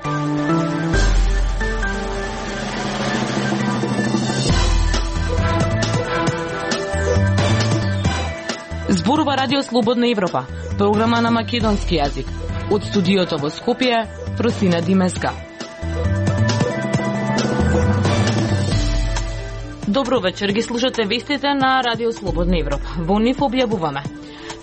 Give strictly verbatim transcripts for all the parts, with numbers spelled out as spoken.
Зборува Радио Слободна Европа, програма на македонски јазик. Од студиото во Скопје, Просина Димеска. Добро вечер, ги слушате вестите на Радио Слободна Европа. Во нив објавуваме: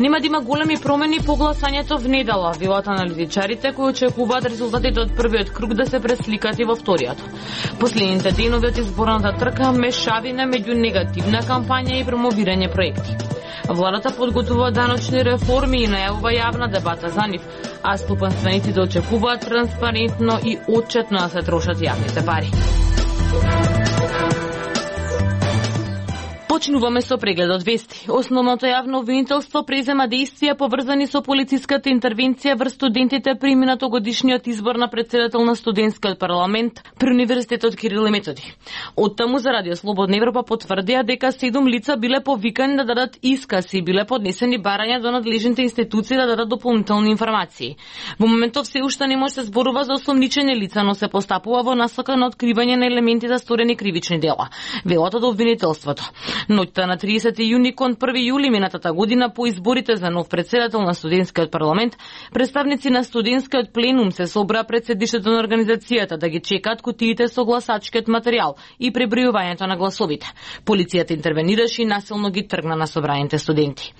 нема да има големи промени по гласањето в недела, велат аналитичарите кои очекуваат резултатите од првиот круг да се пресликат и во вториот. Последните денови од изборната трка мешавина меѓу негативна кампања и промовирање проекти. Владата подготвува даночни реформи и најавува јавна дебата за нив, а стопанствениците очекуваат транспарентно и отчетно да се трошат јавните пари. Почнуваме со прегледот вести. Основното јавно обвинителство презема действија поврзани со полициската интервенција врз студентите при минатогодишниот избор на председател на студентскиот парламент при Универзитетот Кирил и Методи. Оттаму за Радио Слободна Европа потврдија дека седум лица биле повикани да дадат исказ и биле поднесени барања до надлежните институции да дадат дополнителни информации. Во моментов се уште не може да се зборува за осомничени лица, но се постапува во насока на откривање на елементи за сторени кривични дела, велат од обвинителството. Ноќта на тридесети јуни кон први јули минатата година по изборите за нов председател на студентскиот парламент, представници на студентскиот пленум се собраа пред седиштето на организацијата да ги чекаат кутиите со гласачкиот материјал и пребројувањето на гласовите. Полицијата интервенираше и насилно ги тргна на собраните студенти.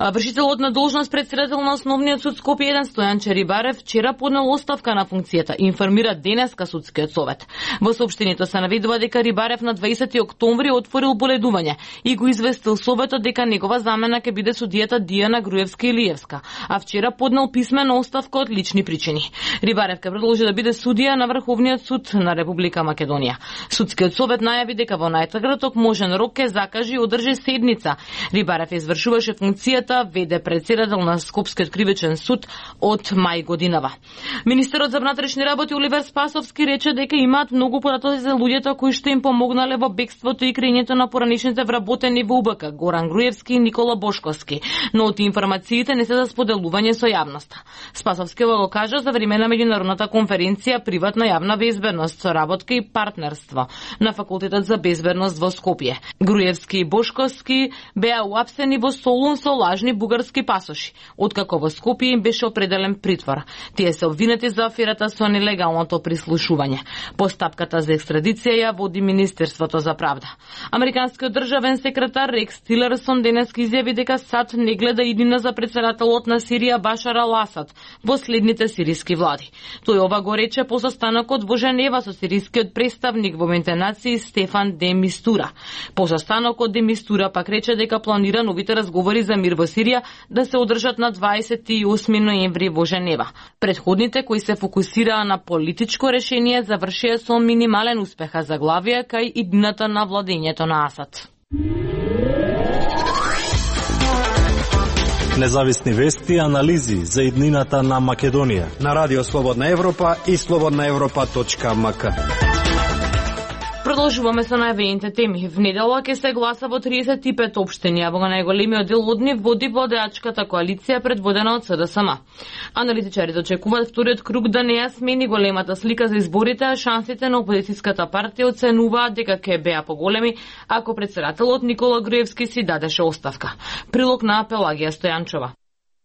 Вршителот на должност председател на Основниот суд Скопје еден Стојан Черибарев вчера поднел оставка на функцијата, информира денеска судскиот совет. Во соопштението се наведува дека Рибарев на дваесети октомври отворил боледување и го известил советот дека негова замена ќе биде судијата Дијана Груевска-Илиевска, а вчера поднел писмена оставка од лични причини. Рибарев ќе продолжи да биде судија на Врховниот суд на Република Македонија. Судскиот совет најави дека во најкраток можен рок ќе закажи и одржи седница. Рибарев извршуваше функцијата веде председател на Скопскиот кривичен суд од мај годинава. Министерот за внатрешни работи Оливер Спасовски рече дека имаат многу податоци за луѓето кои што им помогнале во бегството и крењето на пораничните вработени во УБК Горан Груевски и Никола Бошковски, но од информациите не се за споделување со јавноста. Спасовски го кажа за време на меѓународната конференција Приватна јавна безбедност, соработка и партнерство на Факултетот за безбедност во Скопје. Груевски и Бошковски беа уапсени во Солун со лажни бугарски пасоши, откако во Скопје им беше определен притвор. Тие се обвинети за аферата со нелегалното прислушување. Постапката за екстрадиција ја води Министерството за правда. Американскиот државен секретар Рекс Тилерсон денес изјави дека САД не гледа иднина за председателот на Сирија Башар ал-Асад во следните сириски влади. Тој ова го рече по состанокот во Женева со сирискиот представник во Обединетите нации Стефан де Мистура. По состанокот де Мистура пак рече дека планира новите разговори за мир во Сирија да се одржат на дваесет и осми ноември во Женева. Предходните кои се фокусираа на политичко решение завршија со минимален успех, а заглавија кај иднината на владењето на Асад. Независни вести и анализи за иднината на Македонија на Радио Слободна Европа и слободна европа точка ем ка. Продолжуваме со најавените теми. В недела ќе се гласа во тридесет и пет општини, а во најголемиот дел од нив води владеачката коалиција предводена од С Д С М. Аналитичарите очекуваат вториот круг да не ја смени големата слика за изборите, а шансите на опозицијската партија оценуваат дека ќе беа поголеми ако председателот Никола Груевски си дадеше оставка. Прилог на Пелагија Стојанчова.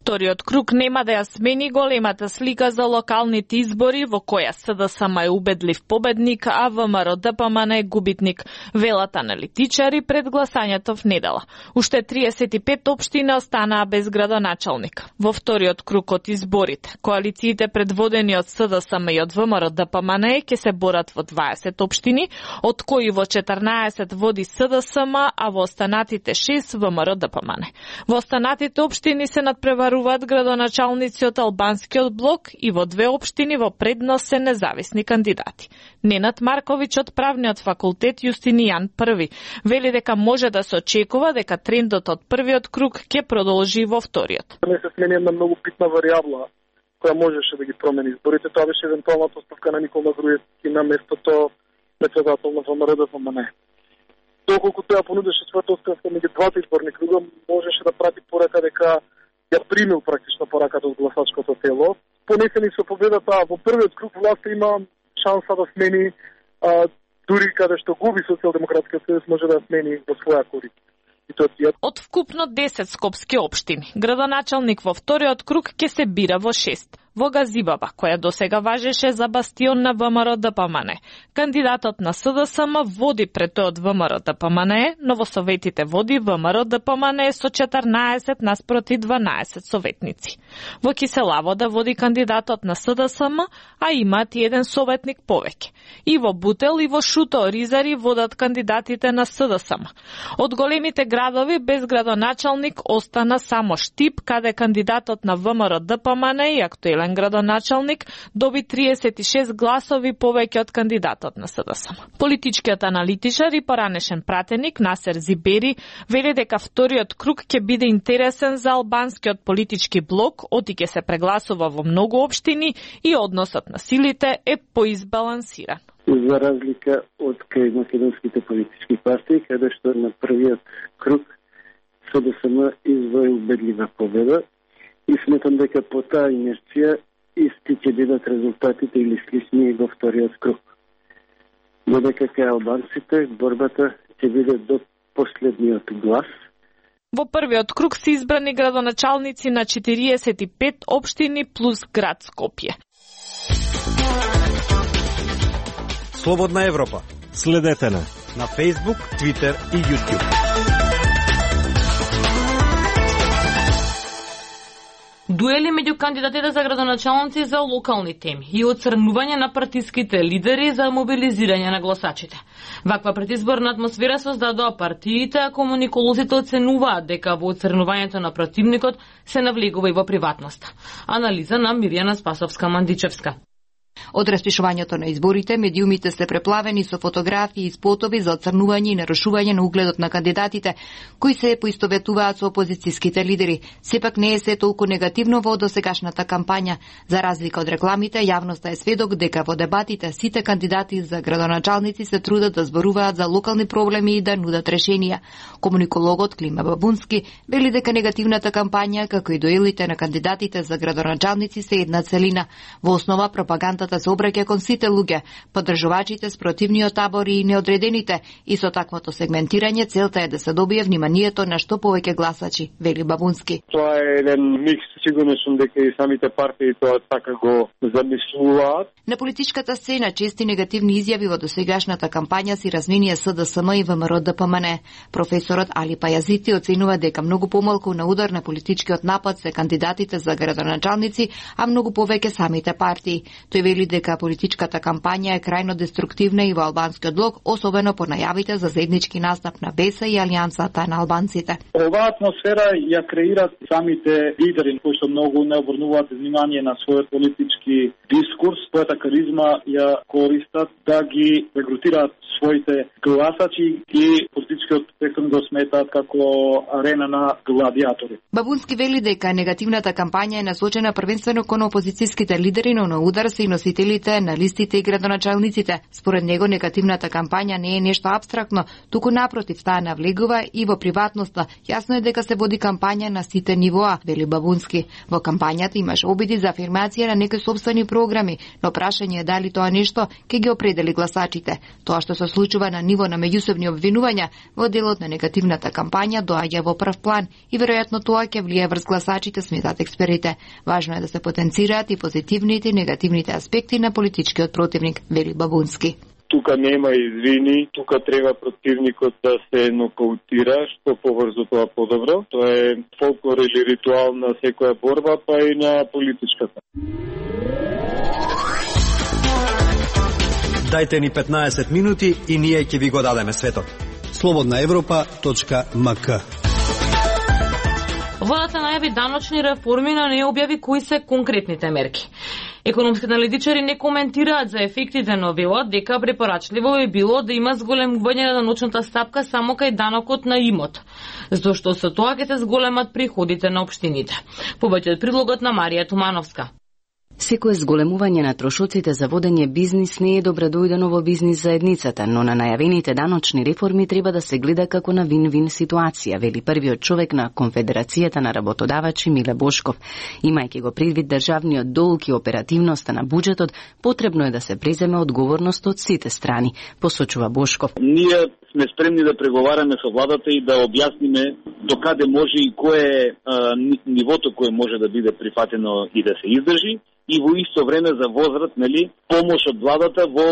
Вториот круг нема да ја смени големата слика за локалните избори во која С Д С М е убедлив победник, а В М Р Д П М Н е губитник, велат аналитичари пред гласањето в недела. Уште тридесет и пет општини останаа без градоначалник. Во вториот круг од изборите, коалициите предводени од С Д С М и од В М Р Д П М Н ќе се борат во дваесет општини, од кои во четрнаесет води С Д С М, а во останатите шест В М Р Д П М Н. Во останатите општини се надпреваруваат градоначалници од албанскиот блок и во две општини во предност се независни кандидати. Ненад Марковиќ од правниот факултет Јустинијан Први вели дека може да се очекува дека трендот од првиот круг ќе продолжи во вториот. Не се смени една многу битна варијабла која можеше да ги промени изборите. Тоа беше евентуалната оставка на Никола Груевски на местото председател на В М Р Д П М Н. Доколку тоа понудеше својата оставка меѓу двата изборни круга, можеше да прати порака дека ја примил практично пораката од гласачкото тело. Понесени со победата во првиот круг власта има шанса да смени, а, дури каде што губи Социјалдемократскиот сојуз може да смени во своја корист. Од вкупно десет скопски општини, градоначалник во вториот круг ќе се бира во шест. Во Газибаба, која досега важеше за бастион на ВМРО Д П М Н. Кандидатот на С Д С М води пред тој од ВМРО Д П М Н, но во советите води ВМРО Д П М Н со четрнаесет наспроти дванаесет советници. Во Киселавода води кандидатот на С Д С М, а имаат и еден советник повеќе. И во Бутел и во Шуто Ризари водат кандидатите на С Д С М. Од големите градови без градоначалник остана само Штип, каде кандидатот на ВМРО Д П М Н и актуелен градоначалник доби триесет и шест гласови повеќе од кандидатот на С Д С М. Политичкиот аналитичар и поранешен пратеник Насер Зибери вели дека вториот круг ќе биде интересен за албанскиот политички блок, оти ќе се прегласува во многу општини и односот на силите е поизбалансиран. За разлика од кај македонските политички партии, каде што на првиот круг С Д С М извои убедлива победа, и сметам дека по таа инерција исти ќе бидат резултатите или слични и во вториот круг. Додека кај албанците борбата ќе биде до последниот глас. Во првиот круг се избрани градоначалници на четириесет и пет општини плюс град Скопје. Слободна Европа. Следете на на Facebook, Twitter и YouTube. Дуели меѓу кандидатите за градоначалници за локални теми и оцрнување на партиските лидери за мобилизирање на гласачите. Ваква предизборна атмосфера создадоа партиите, а комуниколозите оценуваат дека во оцрнувањето на противникот се навлегува и во приватноста. Анализа на Мирјана Спасовска-Мандичевска. Од распишувањето на изборите, медиумите се преплавени со фотографии и спотови за оцрнување и нарушување на угледот на кандидатите, кои се поистоветуваат со опозицијските лидери. Сепак не е се толку негативно во досегашната кампања. За разлика од рекламите, јавноста е сведок дека во дебатите сите кандидати за градоначалници се трудат да зборуваат за локални проблеми и да нудат решенија. Комуникологот Клима Бабунски вели дека негативната кампања, како и дуелите на кандидатите за градоначалници се една целина. Во основа пропагандата се обраќа кон сите луѓе, поддржувачите, спротивниот табор и неодредените, и со таквото сегментирање целта е да се добие вниманието на што повеќе гласачи, вели Бабунски. Тоа е еден микс, сигурно сум дека и самите партии тоа така го замислуваат. На политичката сцена чести негативни изјави во досегашната кампања си разменија С Д С М и ВМРО Д П М Н. Професорот Али Пајазити оценува дека многу помалку на удар на политичкиот напад се кандидатите за градоначалници, а многу повеќе самите партии. Тој вели дека политичката кампања е крајно деструктивна и во албанскиот блок, особено по најавите за заеднички настап на Б Е С и Алијансата на албанците. Оваа атмосфера ја креираат самите лидери кои што многу не обрнуваат внимание на својот политички дискурс, својата каризма ја користат да ги регрутираат своите гласачи и политичкиот спектрум го сметаат како арена на гладиатори. Бабунски вели дека негативната кампања е насочена првенствено кон опозицијските лидери, но на удар се и носителите на листите и градоначалниците. Според него негативната кампања не е нешто апстрактно, туку напротив, таа навлегува и во приватноста. Јасно е дека се води кампања на сите нивоа, вели Бабунски. Во кампањата имаш обиди за афирмација на некои сопствени програми, но прашање е дали тоа нешто ќе ги определи гласачите. Тоа што се случува на ниво на меѓусебни обвинувања во делот на негативната кампања доаѓа во прв план и веројатно тоа ќе влие врз гласачите, сметат експертите. Важно е да се потенцираат и позитивните и негативните аспекти на политичкиот противник, вели Бабунски. Тука нема извини, тука треба противникот да се нокаутира, што побрзо тоа подобро. Тоа е фолклор или ритуал на секоја борба, па и на политичката. Дајте ни петнаесет минути и ние ќе ви го дадеме светот. слободна европа точка м к. Владата најави даночни реформи, но не објави кои се конкретните мерки. Економските аналитичари не коментираат за ефектите, но велат дека препорачливо би било да има зголемување на даночната стапка само кај данокот на имот, зашто со тоа ќе се зголемат приходите на општините. Повеќе од прилогот на Марија Тумановска. Секое зголемување на трошоците за водење бизнис не е добродојдено во бизнис заедницата, но на најавените даночни реформи треба да се гледа како на вин-вин ситуација, вели првиот човек на Конфедерацијата на работодавачи Миле Бошков. Имајќи го предвид државниот долг и оперативноста на буџетот, потребно е да се преземе одговорност од сите страни, посочува Бошков. Ние сме спремни да преговараме со владата и да објасниме докаде може и кое е а, нивото кое може да биде прифатено и да се издржи, и во исто време за возврат, нели, помош од владата во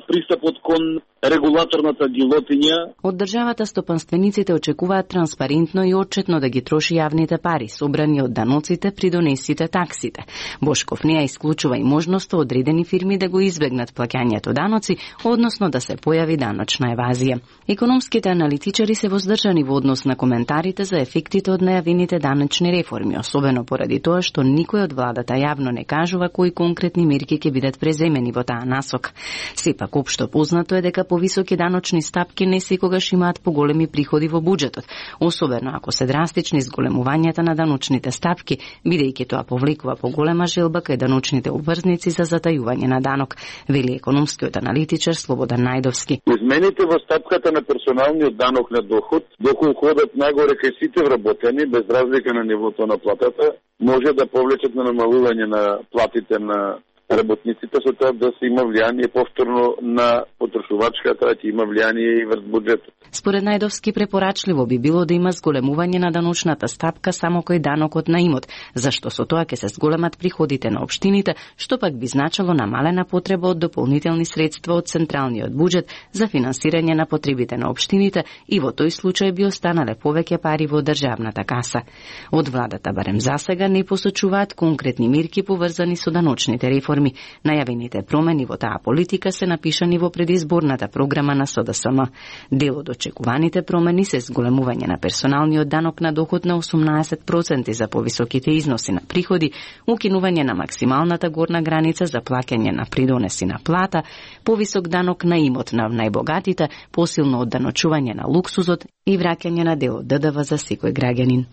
пристапот кон регулаторната гилотиња. Од државата стопанствениците очекуваат транспарентно и отчетно да ги троши јавните пари, собрани од даноците при донесите таксите. Бошков не ја исклучува и можноста одредени фирми да го избегнат плаќањето даноци, односно да се појави даночна евазија. Економските аналитичари се воздржани во однос на коментарите за ефектите од најавените даночни реформи, особено поради тоа што никој од владата јавно не кажува кои конкретни мерки ќе бидат преземени во таа насока. Сепак општо познато е дека повисоки даночни стапки не секогаш имаат поголеми приходи во буџетот, особено ако се драстични зголемувањата на даночните стапки, бидејќи тоа повлекува поголема желба кај даночните обврзници за затајување на данок, вели економскиот аналитичар Слободан Најдовски. Измените во стапката на персоналниот данок на доход, доколку одат нагоре кај сите вработени, без разлика на нивото на платата, може да повлечат на намалување на платите на работниците, со тоа да се има влијание повторно на потрошувачката, да има влијание и врз буџетот. Според Најдовски препорачливо би било да има зголемување на даночната стапка само кој данокот на имот, зашто со тоа ќе се зголемат приходите на општините, што пак би значило намалена потреба од дополнителни средства од централниот буџет за финансирање на потребите на општините и во тој случај би останале повеќе пари во државната каса. Од владата барем засега не посочуваат конкретни мерки поврзани со даночните реформи. Најавените промени во таа политика се напишани во предизборната програма на С Д С М. Дел од очекуваните промени се зголемување на персоналниот данок на доход на осумнаесет проценти за повисоките износи на приходи, укинување на максималната горна граница за плаќање на придонеси на плата, повисок данок на имот на најбогатите, посилно одданочување на луксузот и враќање на дел од Д Д В за секој граѓанин.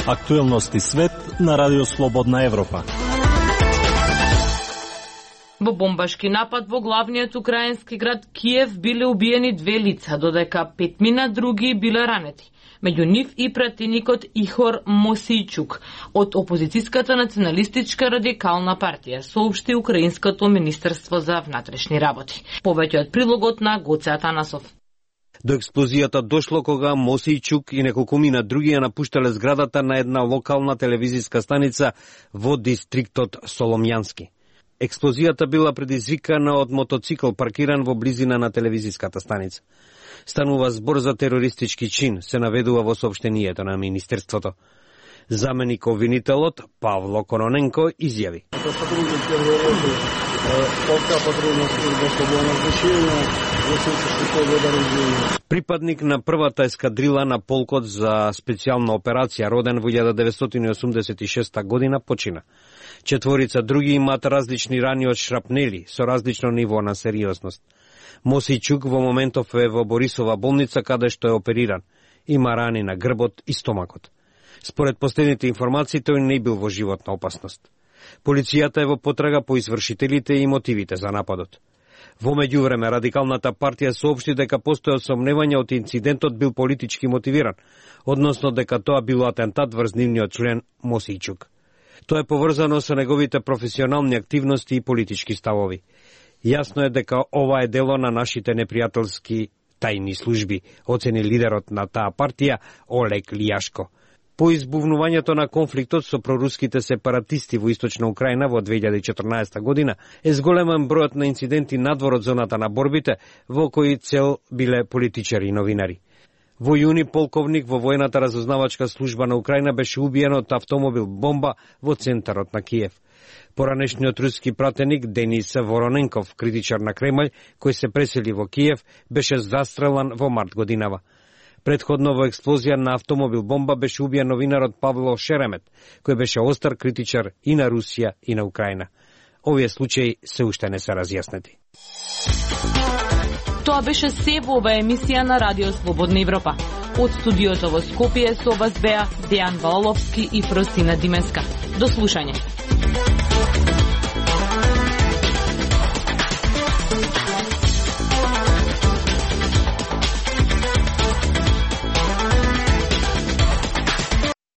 Актуелности свет на Радио Слободна Европа. Во бомбашки напад во главниот украински град Киев биле убиени две лица, додека петмина други биле ранети. Меѓу нив и пратеникот Ихор Мосијчук од опозицијската националистичка радикална партија, соопшти Украинското министерство за внатрешни работи. Повеќе од прилогот на Гоце Атанасов. До експлозијата дошло кога Мосијчук и неколкумина други ја напуштале зградата на една локална телевизиска станица во дистриктот Соломјански. Експлозијата била предизвикана од мотоцикл паркиран во близина на телевизиската станица. Станува збор за терористички чин, се наведува во соопштението на Министерството. Заменик обвинителот Павло Короненко изјави. Припадник на првата ескадрила на полкот за специјална операција, роден во илјада деветстотини осумдесет и шеста година, почина. Четворица други имаат различни рани од шрапнели со различно ниво на сериозност. Мосијчук во моментов е во Борисова болница каде што е опериран. Има рани на грбот и стомакот. Според последните информации, тој не бил во животна опасност. Полицијата е во потрага по извршителите и мотивите за нападот. Во меѓувреме, радикалната партија соопшти дека постојат сомневања од инцидентот бил политички мотивиран, односно дека тоа било атентат врз нивниот член Мосијчук. Тоа е поврзано со неговите професионални активности и политички ставови. Јасно е дека ова е дело на нашите непријателски тајни служби, оцени лидерот на таа партија Олег Лијашко. По избувнувањето на конфликтот со проруските сепаратисти во Источна Украина во две илјади и четрнаесета година е зголемен бројот на инциденти надвор од зоната на борбите, во кои цел биле политичари и новинари. Во јуни полковник во војната разузнавачка служба на Украина беше убиен од автомобил бомба во центарот на Киев. Поранешниот руски пратеник Денис Вороненков, критичар на Кремљ, кој се пресели во Киев, беше застрелан во март годинава. Предходно во експлозија на автомобил бомба беше убиен новинарот Павло Шеремет, кој беше остар критичар и на Русија и на Украина. Овие случаи се уште не се разјаснети. Тоа беше се во оваа емисија на Радио Слободна Европа. Од студиото во Скопје со вас беа Дејан Ваоловски и Фросина Дименска. До слушање.